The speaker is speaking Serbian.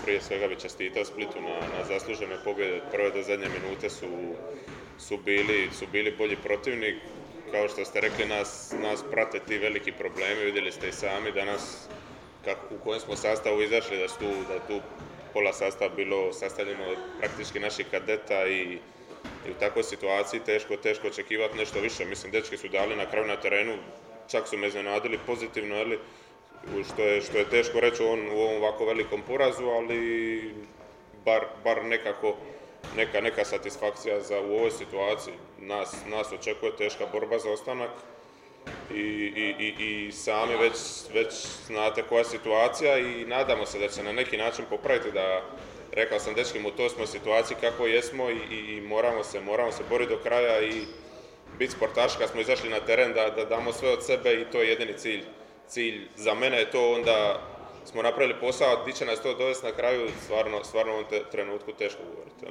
prije svega bi čestitao Splitu na zaslužene pobjede. Od prve do zadnje minute su bili bolji protivnik. Kao što ste rekli, nas prate ti veliki problemi. Vidjeli ste i sami danas u kojem smo sastavu izašli, da je tu pola sastava bilo sastavljeno od praktički naših kadeta i u takvoj situaciji teško očekivati nešto više. Mislim, dečki su dali na kraju na terenu, čak su me iznenadili pozitivno, što je teško reći u ovom ovako velikom porazu, ali bar nekako neka satisfakcija u ovoj situaciji. Nas očekuje teška borba za ostanak i sami već znate koja je situacija i nadamo se da će na neki način popraviti. Rekao sam dečkim, u toj smo situaciji kako jesmo i moramo se boriti do kraja i biti sportaši kad smo izašli na teren, da damo sve od sebe i to je jedini cilj. Za mene je to, onda smo napravili posao, di će nas to dovesti na kraju, stvarno u ovom trenutku teško govoriti.